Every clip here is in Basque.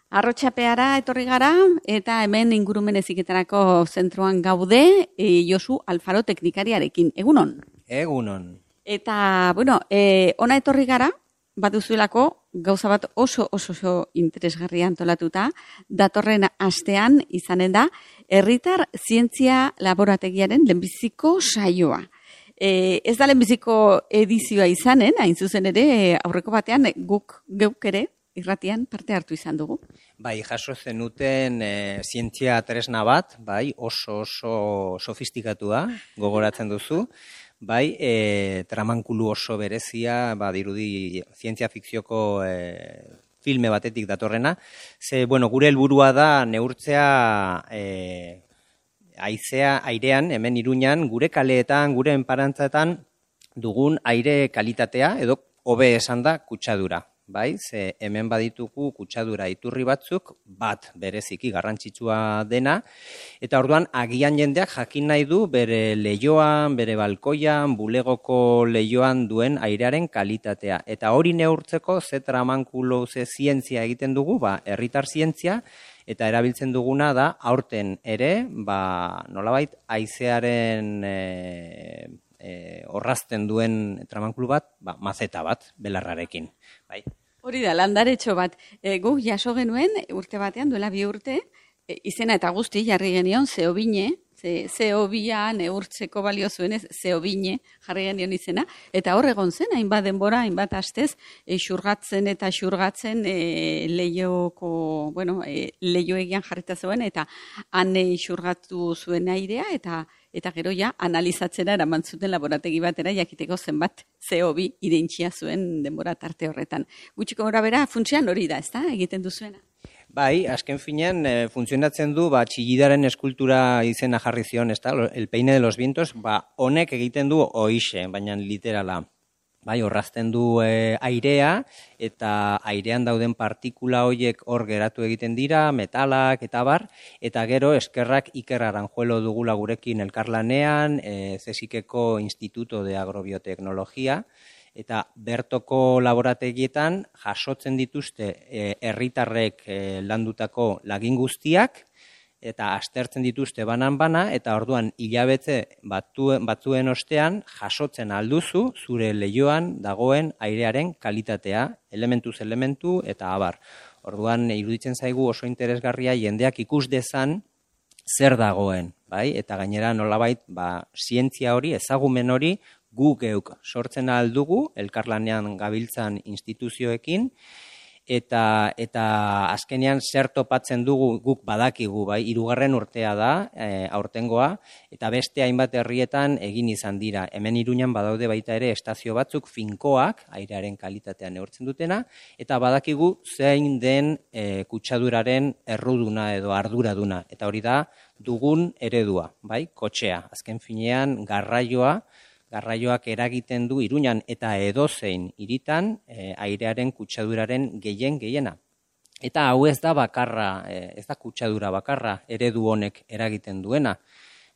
Arrotxapeara etorri gara eta hemen ingurumen heziketarako zentroan gaude Josu Alfaro teknikariarekin. Egunon? Egunon. Eta, ona etorri gara, baduzuelako gauza bat oso interesgarria antolatuta, datorren astean izanen da, herritar zientzia laborategiaren lehenbiziko saioa. Ez da lehenbiziko edizioa izanen, hain zuzen ere, aurreko batean geuk ere, irratian parte hartu izan dugu. Bai, jaso zenuten zientzia tresna bat, bai, oso sofistikatua, gogoratzen duzu, bai, tramankulu oso berezia, dirudi zientzia fikzioko filme batetik datorrena, ze, gure helburua da neurtzea airean, hemen Iruñan, gure kaleetan, gure enparantzetan dugun aire kalitatea, edo hobe esan da kutsadura. Bai, ze hemen baditugu kutsadura iturri batzuk, bat bereziki garrantzitsua dena, eta orduan agian jendeak jakin nahi du bere leihoan, bere balkoian, bulegoko leihoan duen airearen kalitatea. Eta hori neurtzeko ze tramankulo, ze zientzia egiten dugu, herritar zientzia, eta erabiltzen duguna da aurten ere, nolabait haizearen orrazten duen tramankulu bat, mazeta bat, belarrarekin. Bai. Hori da, landaretxo bat. Guk jaso genuen, urte batean, duela 2 urte, izena eta guzti jarri genion, zeobine, zeobia neurtzeko balio zuenez, zeobine jarri genion izena, eta hor egon zen, hainbat denbora, hainbat astez, xurgatzen eta xurgatzen leioegian jarrita zuen, eta han xurgatu zuen airea, eta gero ja analizatzera eraman zuten laborategi batera jakiteko zenbat CO2 irentxia zuen denbora tarte horretan. Gutxiko gora bera, funtsean hori da, ezta? Egiten duzuena? Bai, azken finean funtzionatzen du txillidaren eskultura izena jarri zion, ezta? El peine de los vientos, honek egiten du hoixe, baina literala. Bai, orrazten du airea, eta airean dauden partikula horiek hor geratu egiten dira, metalak eta bar, eta gero eskerrak Iker Aranjuelo dugula gurekin elkarlanean, CSIC-eko Instituto de Agrobioteknologia, eta bertoko laborategietan jasotzen dituzte herritarrek landutako lagin guztiak, eta aztertzen dituzte banan-bana, eta orduan hilabete batzuen ostean jasotzen alduzu zure leihoan dagoen airearen kalitatea, elementuz elementu eta abar. Orduan iruditzen zaigu oso interesgarria jendeak ikus dezan zer dagoen, bai? Eta gainera nolabait, zientzia hori, ezagumen hori, gu geuk sortzen aldugu, elkarlanean gabiltzan instituzioekin, eta azkenean zer topatzen dugu guk badakigu, bai, 3. urtea da, aurtengoa, eta beste hainbat herrietan egin izan dira. Hemen Iruñan badaude baita ere estazio batzuk finkoak, airearen kalitatea neurtzen dutena, eta badakigu zein den kutsaduraren erruduna edo arduraduna, eta hori da dugun eredua, bai, kotxea. Azken finean garraioak eragiten du Iruñan eta edozein hiritan airearen kutsaduraren gehiena. Eta hau ez da bakarra, ez da kutsadura bakarra eredu honek eragiten duena.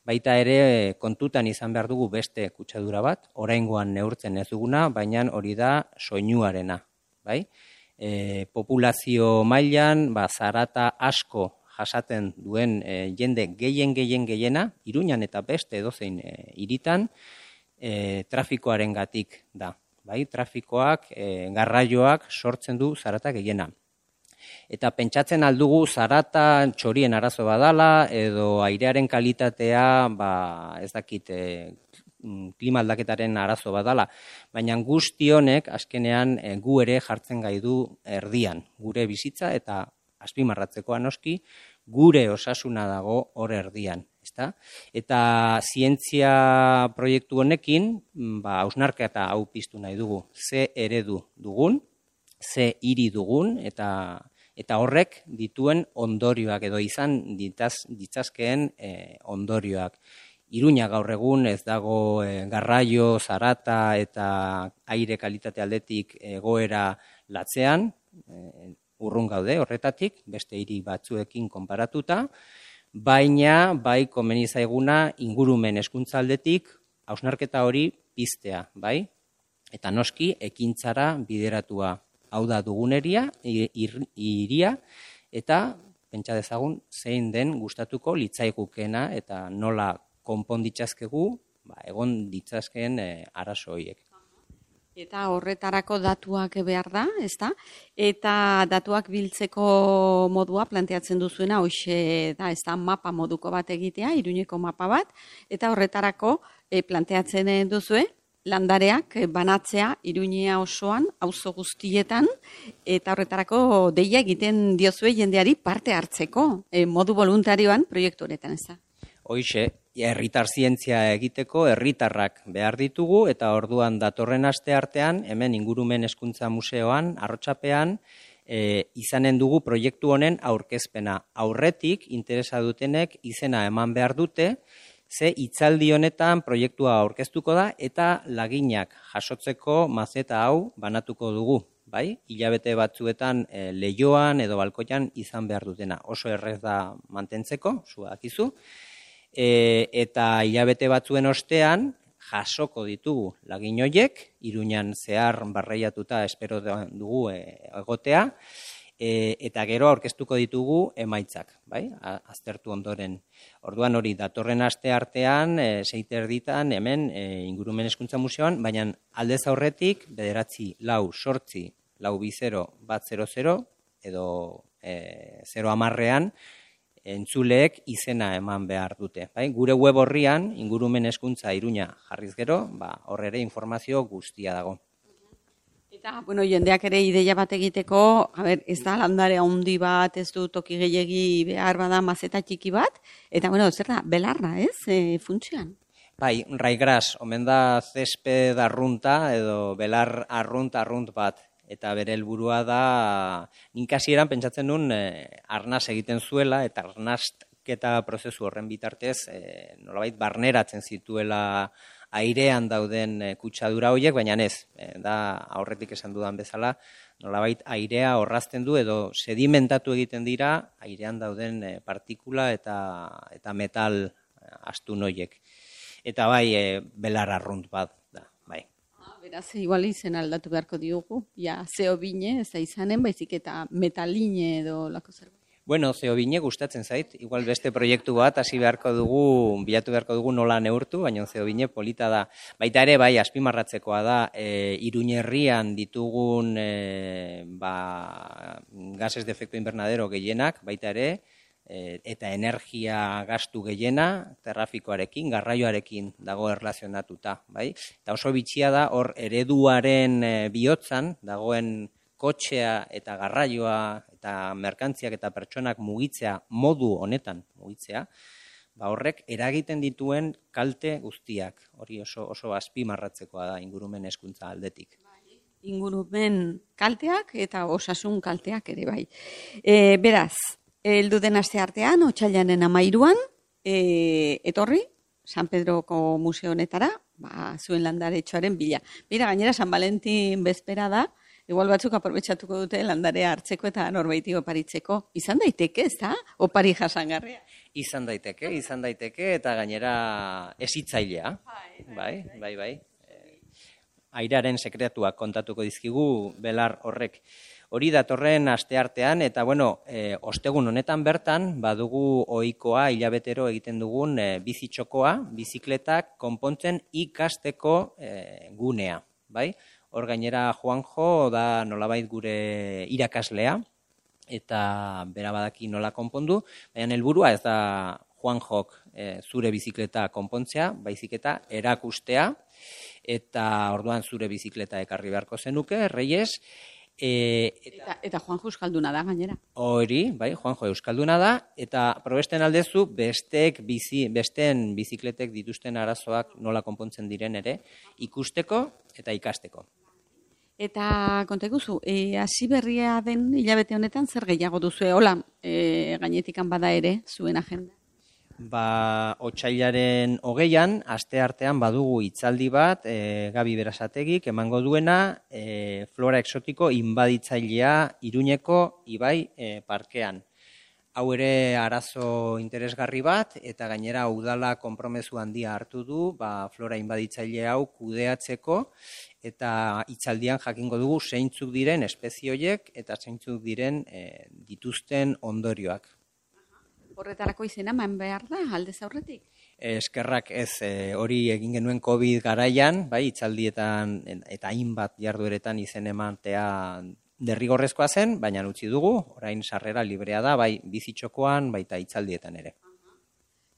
Baita ere kontutan izan behar dugu beste kutsadura bat, oraingoan neurtzen ez duguna, baina hori da soinuarena. Bai? Populazio mailan zarata asko jasaten duen jende gehiena, Iruñan eta beste edozein hiritan, trafikoarengatik da. Bai, trafikoak, garraioak sortzen du zarata gehiena. Eta pentsatzen aldugu zarata txorien arazo badala, edo airearen kalitatea, ez dakit, klima aldaketaren arazo badala, baina guzti honek azkenean gu ere jartzen gaidu erdian, gure bizitza eta azpimarratzekoa noski, gure osasuna dago hor erdian. Eta zientzia proiektu honekin, hausnarketa hau piztu nahi dugu, ze eredu dugun, ze hiri dugun, eta horrek dituen ondorioak edo izan ditzazkeen ondorioak. Iruña gaur egun ez dago garraio, zarata eta aire kalitate aldetik egoera latzean, urrun gaude horretatik, beste hiri batzuekin konparatuta, baina bai komeni zaiguna ingurumen hezkuntza aldetik hausnarketa hori piztea, bai? Eta noski ekintzara bideratua. Hau da duguneria, hiria, eta pentsa dezagun zein den gustatuko litzaigukena eta nola konponditzazkegu egon ditzazkeen arazo horiek. Eta horretarako datuak behar da, ezta? Eta datuak biltzeko modua planteatzen duzuena, hoxe da, ezta, mapa moduko bat egitea, Iruñeko mapa bat, eta horretarako planteatzen duzue, landareak banatzea Iruñea osoan, auzo guztietan, eta horretarako deia egiten diozue jendeari parte hartzeko, modu voluntarioan proiektu honetan, ezta? Hoxe, herritar zientzia egiteko herritarrak behar ditugu eta orduan datorren aste artean, hemen Ingurumen Hezkuntza Museoan, Arrotxapean, izanen dugu proiektu honen aurkezpena. Aurretik, interesa dutenek izena eman behar dute, ze hitzaldi honetan proiektua aurkeztuko da eta laginak jasotzeko mazeta hau banatuko dugu. Bai, hilabete batzuetan leioan edo balkoian izan behar dutena. Oso errez da mantentzeko, zu dakizu. Eta hilabete batzuen ostean jasoko ditugu lagin horiek, Iruñan zehar barreiatuta espero dugu egotea, eta gero aurkeztuko ditugu emaitzak, bai? Aztertu ondoren. Orduan hori datorren aste artean, 6:30 hemen Ingurumen Hezkuntza Museoan, baina aldez aurretik 9, 4, 8, 4, 2, 0, 100 edo 0:10 entzuleek izena eman behar dute. Bai? Gure web horrian, Ingurumen Hezkuntza Iruña jarriz gero, hor ere informazio guztia dago. Eta, bueno, jendeak ere ideia bat egiteko, ez da landare handi bat, ez du toki gehiegi behar bada mazeta txiki bat, eta, bueno, zer da, belarra, ez, funtzioan? Bai, raigras, omen da zesped arrunta edo belar arrunt bat. Eta bere helburua da, nik hasieran pentsatzen duen arnaz egiten zuela, eta arnazketa prozesu horren bitartez, nolabait barneratzen zituela airean dauden kutsadura horiek, baina ez, da aurretik esan dudan bezala, nolabait airea orrazten du edo sedimentatu egiten dira airean dauden partikula eta metal astun horiek. Eta bai, belar arrunt bat da, bai. Beraz, igual izen aldatu beharko diogu, ja, zeobine, ez da izanen, baizik eta metaline edo lako zerbait. Bueno, zeobine gustatzen zait, igual beste proiektu bat hasi beharko dugu, bilatu beharko dugu nola neurtu, baina zeobine polita da. Baita ere, bai, azpimarratzekoa da, Iruñerrian ditugun gases de efecto invernadero gehienak, baita ere, eta energia gastu gehiena, trafikoarekin, garraioarekin dago erlazionatuta, bai? Eta oso bitxia da, hor ereduaren bihotzan, dagoen kotxea eta garraioa eta merkantziak eta pertsonak mugitzea, modu honetan mugitzea, horrek eragiten dituen kalte guztiak, hori oso azpimarratzekoa da Ingurumen Hezkuntza aldetik. Ingurumen kalteak eta osasun kalteak ere bai. Beraz, heldu den aste artean, otsailaren 13an, etorri, San Pedroko museo honetara, zuen landaretxoaren bila. Bira, gainera, San Valentin bezpera da, igual batzuk aprobetxatuko dute landarea hartzeko eta norbaiti oparitzeko. Izan daiteke, ez da? Opari jasangarria. Izan daiteke, eta gainera ezitzailea. Bai. Airearen sekretuak kontatuko dizkigu belar horrek. Hori datorren asteartean, eta bueno, ostegun honetan bertan, badugu ohikoa hilabetero egiten dugun bizitxokoa, bizikletak konpontzen ikasteko gunea, bai? Hor gainera Juanjo da nolabait gure irakaslea, eta bera badaki nola konpondu, baina helburua ez da Juanjok zure bizikleta konpontzea, baizik eta erakustea, eta orduan zure bizikleta ekarri beharko zenuke, Reyes. Eta Juanjo euskalduna da, gainera. Hori, bai, Juanjo euskalduna da, eta probesten aldezu besteen bizikletek dituzten arazoak nola konpontzen diren ere, ikusteko eta ikasteko. Eta konteguzu, hasi berria den hilabete honetan zer gehiago duzu, hola, gainetikan bada ere, zuen agenda? Otsailaren 20an, asteartean badugu hitzaldi bat, Gabi Berasategik emango duena, flora exotiko inbaditzailea Iruñeko ibai parkean. Hau ere arazo interesgarri bat, eta gainera udala konpromezu handia hartu du, flora inbaditzaile hau kudeatzeko, eta hitzaldian jakingo dugu zeintzuk diren espezie horiek eta zeintzuk diren dituzten ondorioak. Horretarako izena eman behar da, aldez aurretik? Eskerrak ez, hori egin genuen COVID garaian, hitzaldietan eta hainbat jardueretan izen ematea derrigorrezkoa zen, baina utzi dugu, orain sarrera librea da, bai bizitxokoan, baita hitzaldietan ere.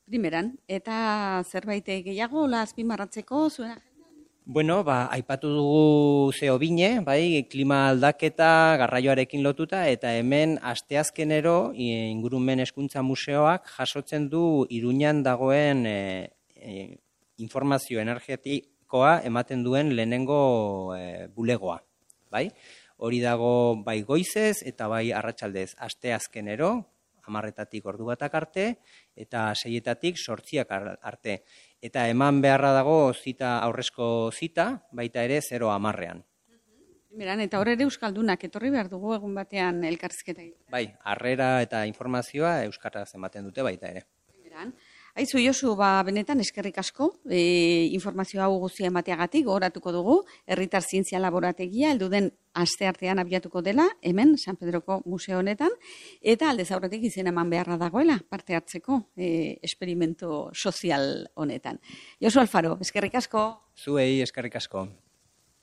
Primeran, eta zerbait gehiago, azpimarratzeko zuen agendan? Bueno, aipatu dugu zeo bine, klima aldaketa garraioarekin lotuta, eta hemen asteazkenero ingurumen hezkuntza museoak jasotzen du Iruñan dagoen informazio energetikoa ematen duen lehenengo bulegoa, bai? Hori dago bai goizez eta bai arratsaldez asteazkenero, 10:00 ordu batak arte, eta 6:00 zortziak arte. Eta eman beharra dago aurrezko zita, baita ere 0:10. Primeran, eta hor ere Euskaldunak etorri behar dugu egun batean elkarrizketa. Bai, harrera eta informazioa euskaraz ematen dute baita ere. Primeran. Aizu, Josu, benetan eskerrik asko, informazio hau guztia emateagatik, gogoratuko dugu, Herritar Zientzia Laborategia, helduden asteartean abiatuko dela, hemen, San Pedroko museo honetan, eta aldez aurretik izena eman beharra dagoela, parte hartzeko experimento sozial honetan. Josu Alfaro, eskerrik asko. Zuei eskerrik asko.